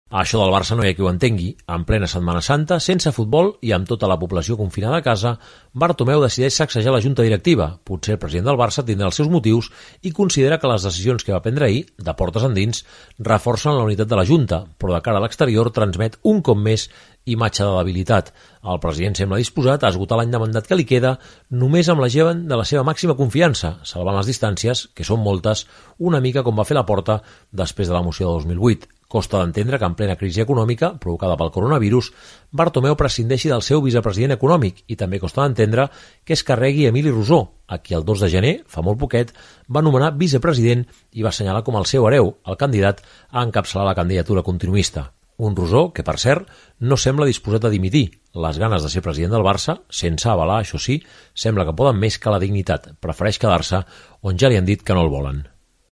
Això del Barça no hi ha qui ho entengui. En plena Setmana Santa, sense futbol i amb tota la població confinada a casa, Bartomeu decideix sacsejar la junta directiva. Potser el president del Barça tindrà els seus motius i considera que les decisions que va prendre ahir, de portes endins, reforcen la unitat de la junta, però de cara a l'exterior transmet un cop més imatge de debilitat. El president sembla disposat a esgotar l'any de mandat que li queda només amb la gent de la seva màxima confiança, salvant les distàncies, que són moltes, una mica com va fer Laporta després de la moció de 2008. Costa d'entendre que en plena crisi econòmica, provocada pel coronavirus, Bartomeu prescindeixi del seu vicepresident econòmic i també costa d'entendre que es carregui Emili Rosó, a qui el 2 de gener, fa molt poquet, va nomenar vicepresident i va assenyalar com el seu hereu, el candidat a encapçalar la candidatura continuista. Un Rosó que, per cert, no sembla disposat a dimitir. Les ganes de ser president del Barça, sense avalar, això sí, sembla que poden més que la dignitat. Prefereix quedar-se on ja li han dit que no el volen.